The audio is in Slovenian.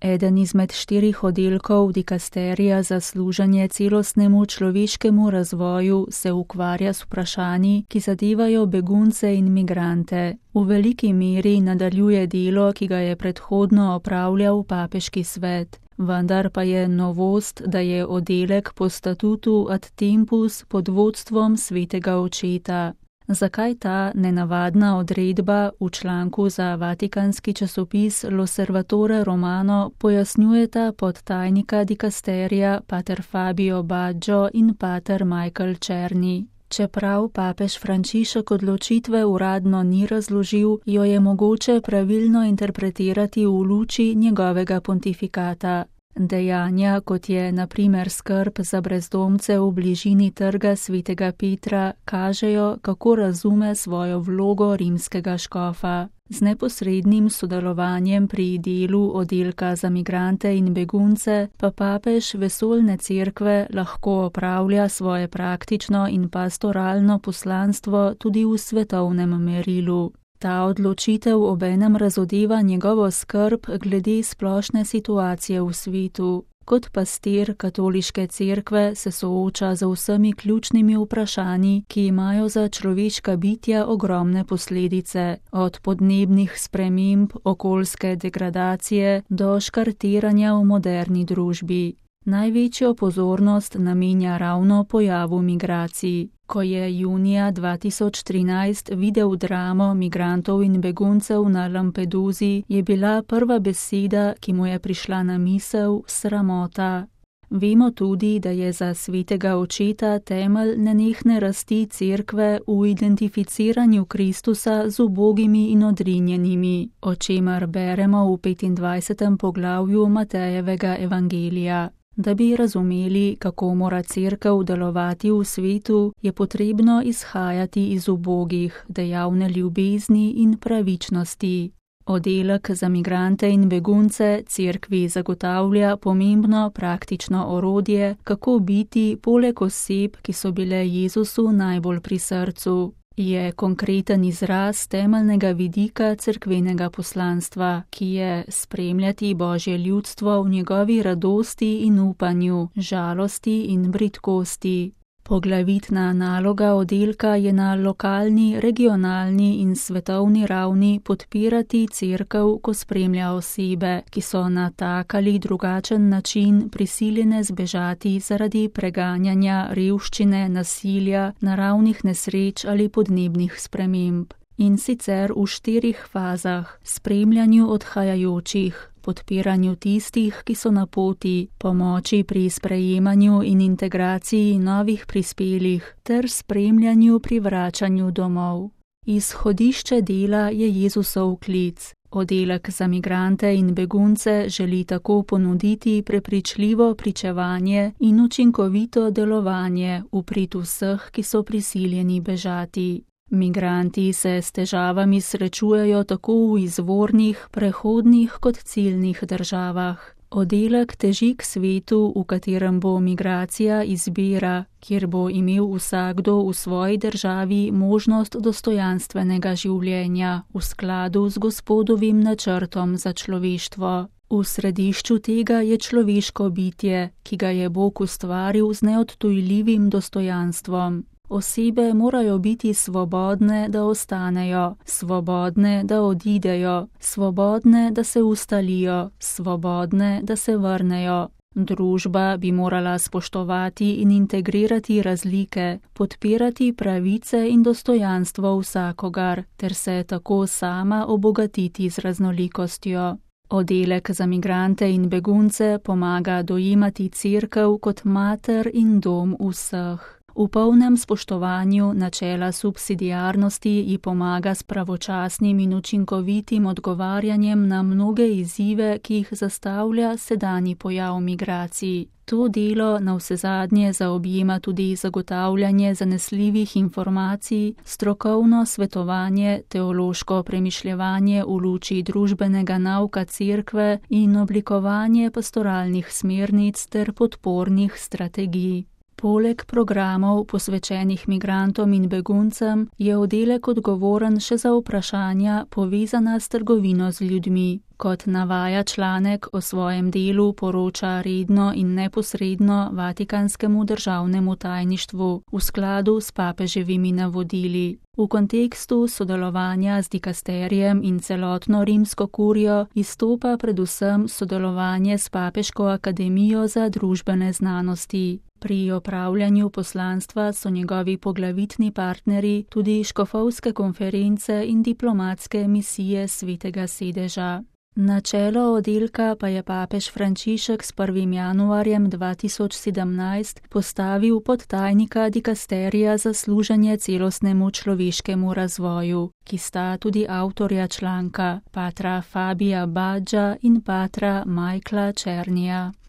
Eden izmed 4 oddelkov dikasterija za služenje celostnemu človeškemu razvoju se ukvarja s vprašanji, ki zadevajo begunce in migrante. V veliki meri nadaljuje delo, ki ga je predhodno opravljal papeški svet. Vendar pa je novost, da je oddelek po statutu ad tempus pod vodstvom svetega očeta. Zakaj ta nenavadna odredba v članku za vatikanski časopis L'Osservatore Romano pojasnjujeta podtajnika dikasterija pater Fabio Baggio in pater Michael Černi. Čeprav papež Frančišek odločitve uradno ni razložil, jo je mogoče pravilno interpretirati v luči njegovega pontifikata. Dejanja, kot je na primer skrb za brezdomce v bližini trga svetega Petra, kažejo, kako razume svojo vlogo rimskega škofa. Z neposrednim sodelovanjem pri delu oddelka za migrante in begunce pa papež vesoljne cerkve lahko opravlja svoje praktično in pastoralno poslanstvo tudi v svetovnem merilu. Ta odločitev obenem razodeva njegovo skrb glede splošne situacije v svetu. Kot pastir katoliške cerkve se sooča z vsemi ključnimi vprašanji, ki imajo za človeška bitja ogromne posledice, od podnebnih sprememb, okoljske degradacije do škartiranja v moderni družbi. Največjo pozornost namenja ravno pojavu migracij. Ko je junija 2013 videl dramo migrantov in beguncev na Lampedusi, je bila prva beseda, ki mu je prišla na misel, sramota. Vemo tudi, da je za svetega očeta temelj nenehne rasti cerkve v identificiranju Kristusa z ubogimi in odrinjenimi, o čemer beremo v 25. poglavju Matejevega evangelija. Da bi razumeli, kako mora cerkev delovati v svetu, je potrebno izhajati iz ubogih, dejavne ljubezni in pravičnosti. Oddelek za migrante in begunce cerkvi zagotavlja pomembno praktično orodje, kako biti poleg oseb, ki so bile Jezusu najbolj pri srcu. Je konkreten izraz temeljnega vidika cerkvenega poslanstva, ki je spremljati Božje ljudstvo v njegovi radosti in upanju, žalosti in bridkosti. Poglavitna naloga oddelka je na lokalni, regionalni in svetovni ravni podpirati cerkev, ko spremlja osebe, ki so na tak ali drugačen način prisiljene zbežati zaradi preganjanja, revščine, nasilja, naravnih nesreč ali podnebnih sprememb. In sicer v 4 fazah: spremljanju odhajajočih, podpiranju tistih, ki so na poti, pomoči pri sprejemanju in integraciji novih prispelih ter spremljanju pri vračanju domov. Izhodišče dela je Jezusov klic. Oddelek za migrante in begunce želi tako ponuditi prepričljivo pričevanje in učinkovito delovanje v prid vseh, ki so prisiljeni bežati. Migranti se s težavami srečujejo tako v izvornih, prehodnih kot ciljnih državah. Oddelek teži k svetu, v katerem bo migracija izbira, kjer bo imel vsakdo v svoji državi možnost dostojanstvenega življenja v skladu z Gospodovim načrtom za človeštvo. V središču tega je človeško bitje, ki ga je Bog ustvaril z neodtujljivim dostojanstvom. Osebe morajo biti svobodne, da ostanejo, svobodne, da odidejo, svobodne, da se ustalijo, svobodne, da se vrnejo. Družba bi morala spoštovati in integrirati razlike, podpirati pravice in dostojanstvo vsakogar, ter se tako sama obogatiti z raznolikostjo. Oddelek za migrante in begunce pomaga dojemati cerkev kot mater in dom vseh. V polnem spoštovanju načela subsidiarnosti ji pomaga s pravočasnim in učinkovitim odgovarjanjem na mnoge izzive, ki jih zastavlja sedanji pojav migracij. To delo navsezadnje zaobjema tudi zagotavljanje zanesljivih informacij, strokovno svetovanje, teološko premišljevanje v luči družbenega nauka cerkve in oblikovanje pastoralnih smernic ter podpornih strategij. Poleg programov posvečenih migrantom in beguncem je oddelek odgovoren še za vprašanja povezana s trgovino z ljudmi. Kot navaja članek, o svojem delu poroča redno in neposredno Vatikanskemu državnemu tajništvu v skladu s papeževimi navodili. V kontekstu sodelovanja z dikasterijem in celotno rimsko kurijo izstopa predvsem sodelovanje s Papeško akademijo za družbene znanosti. Pri opravljanju poslanstva so njegovi poglavitni partnerji tudi škofovske konference in diplomatske misije Svetega sedeža. Na čelo oddelka pa je papež Frančišek s 1. januarjem 2017 postavil podtajnika dikasterija za služenje celostnemu človeškemu razvoju, ki sta tudi avtorja članka, patra Fabija Badža in patra Michaela Černija.